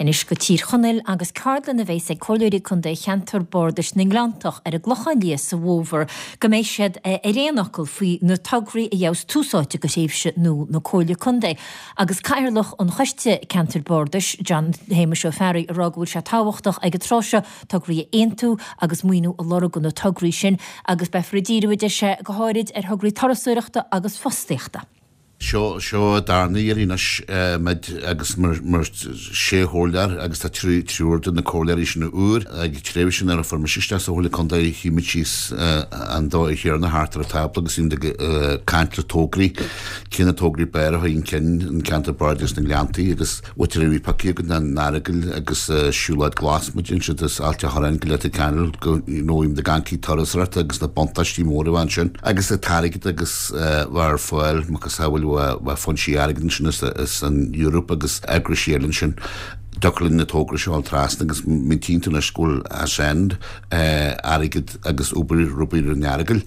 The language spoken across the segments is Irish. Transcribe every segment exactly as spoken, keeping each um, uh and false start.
Anois go Tír Chonaill agus ceardlann a bheas ag Comhairleoirí Contae Cheantar Bardais na nGleanntach ar an gClochán Liath sa bhfómhar go mbeidh siad ar aon fhocal faoi na tograí a gheobhas tús áite go thréimhse nua na Comhairle Contae. Agus Cathaoirleach an Choiste Ceantar Bardais John Shéamuis Ó Fearraigh ag rá go bhfuil sé tábhachtach ag an tráth seo tograí a aontú agus maoiniú a lorg do na tograí sin agus beifear ag díriú a deir sé go háirid ar thograí turasóireachta agus fostaíochta. Seo seo darna iarraidh anois muid agus mar mar sé chomhairleoir agus tá trí triúr de na comhairleoirí sin úr ag tréimhse nuair a fuair mise isteach sa Chomhairle Contae shuigh muid síos an dá chéarna thart ar an tábla agus bhí muid ag caint le tograí cé na tograí b'fhearr a chun cinn an ceantar Bardais na nGleanntaí agus bhfuil bhí pioctha againn an Earagail agus siúlóid glas muid ansiúd is Ailt an Chorráin go Leitir Ceanainn go you know bhí muid ag caint turasóireachta agus na buntáistí móra a ansin agus an t-airgead agus bheith ar fáil macasamhail bheith foinsí airgead ansin is an Europe agus eagrais eile ansin dtiocfadh linn na tograí seo a trasna agus mintíonn tú anois go bhfuil ascend airgead agus obair rubaí ar an Earagail.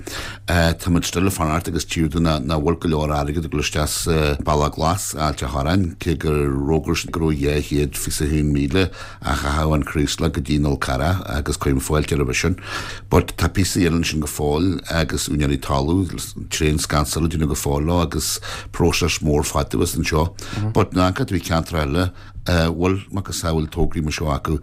Tá muid still ag fanacht agus tír na na bhfuil go leor airgead ag dul isteach sa Bealach Glas Ailt an Chorráin cé gur fhógair go raibh dhá chéad fiche haon míle a chaitheamh an Chraoslach go dtí an Fhál Carrach agus cuirim fáilte roimhe sin. But tá píosa eile ansin go fóill agus úinéirí talamh tréan scansáil déanamh go fóill leo agus próiseas mór fada anseo. But ná bhí ceantar eile bhfuil macasamhail tograí mar seo acu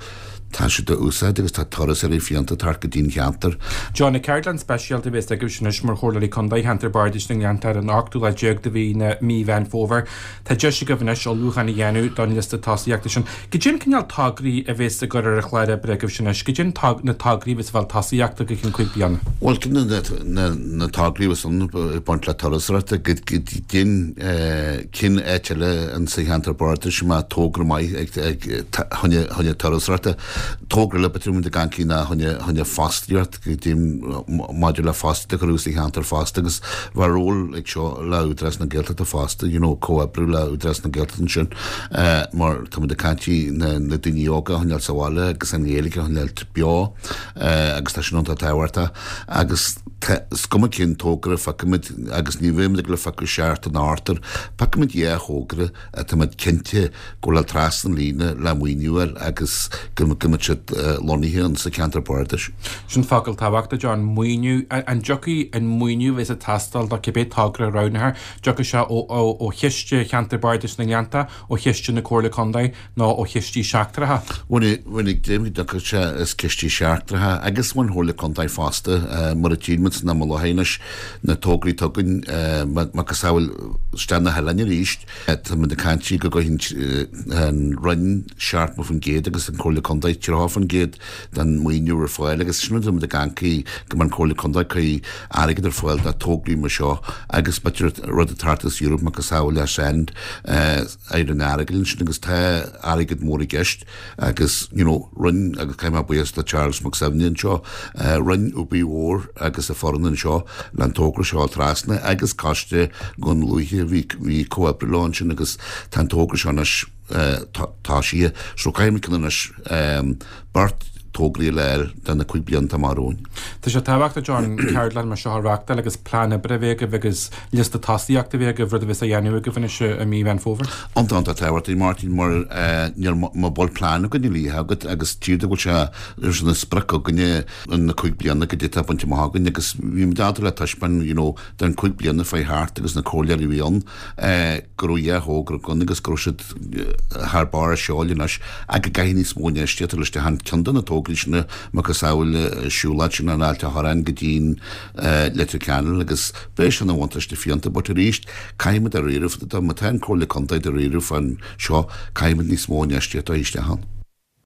tá siad a úsáid agus tá turasóirí fiánta tar go dtí'n cheantar. John na ceardlann speisialta a bheas agaibh anois mar Chomhairleoirí Contae Cheantar Bardais na nGleanntach ar an ochtú lá déag de mhí na mí Mheán Fómhair. Tá deis agaibh anois ullmhúchán a dhéanamh don liosta tosaíochta sin. Cad é an cineál tograí a bheas ag cur ar an chlár oibre agaibh anois, cad é na tograí a bheas ag fáil tosaíochta go ceann cúig bliana. Well na na tograí bheas ann ag baint le turasóireachta go dtín cinn áit eile an sa cheantar bardais má togra maith ag choinne turasóireachta. Togra le betrú de gancí na choinne choinne fostaíocht go dtí maidir le fostaíocht a chur sa cheantar fosta agus bheadh ról ag seo le Údarás na Gaeltachta fosta, you know, comhoibriú le Údarás na Gaeltachta ansin mar tá muid ag caint na na daoine óga a choinneáil sa bhaile agus an Ghaeilge a choinneáil beo agus tá sin iontach tábhachtach agus is cuma cén togra feicimid agus ní bheimid ag le feicadh seart an Arthur, feicimid dhá thogra atá cinnte go bhfuil trasna líne le maoiniú agus go mbeidh siad lonnaithe an sa ceantar bardais. Sin focal tábhachtach John maoiniú an dtiocfaidh an maoiniú bheas ag teastáil do cibé togra roghnaithe, dtiocfaidh sé ó chiste cheantar bardais na nGleannta, ó chiste na Comhairle Contae nó ó chistí seachtracha. Bhuel ag dtiocfaidh sé is cistí seachtracha agus ón Chomhairle Contae fosta mar a tchímid na Mullahéis na tograí tugann macasamhail isteach na hoileáin arís Tá muid ag caint go gcuirfidh an Roinn seachtó faoin gcéad agus an Comhairle Contae tríocha faoin gcéad den maoiniú ar fáil agus sin muid ag caint go mbeidh an Comhairle Contae ag cur airgead ar fáil do tograí mar seo agus b'fhéidir rud atá thart as Europe macasamhail le send ar an Earagail ansin agus tá airgead mór i gceist agus you know rinne agus caithfidh mé buíochas le Charles Mac Suibhne anseo rinne obair mhór agus a foireann anseo le an togra seo trasna agus coiste Dhún Lúiche bhí bhí comhoibriú leo ansin agus tá an togra seo anois tá sí so caithfidh muid anois beart tograí le de na cúig blianta amach romhainn. Tá sé tábhachtach John ceardlann mar seo a reáchtáil agus plean oibre a bheith agaibh agus liosta tosaíochta a bheith agaibh rud a bheas á dhéanamh agaibh anois i mí Mheán Fómhair. Iontach iontach tábhachtach Martin mar níl má bhfuil plean againn uilig agat agus tír go bhfuil sé leis na sprioc againne na cúig bliana go dtí tá bainte amach againn agus bhí muid ábalta le taispeáin you know den cúig bliana fé thart agus na comhairleoirí a bhí ann go raibh dhá thogra againn agus go raibh siad thar barr a seoil anois ach go gcaithfidh níos mó infheistíochta leis an ceann de na tograí sin macasamhail siúlóid sin an Ailt an Chorráin go dtí'n Leitir Ceanainn agus beidh sin ina bhuntáiste fiánta but arís caithfimid dáiríre má tá an Comhairle Contae dáiríre fán seo caithfimid níos mó infheistíochta isteach ann.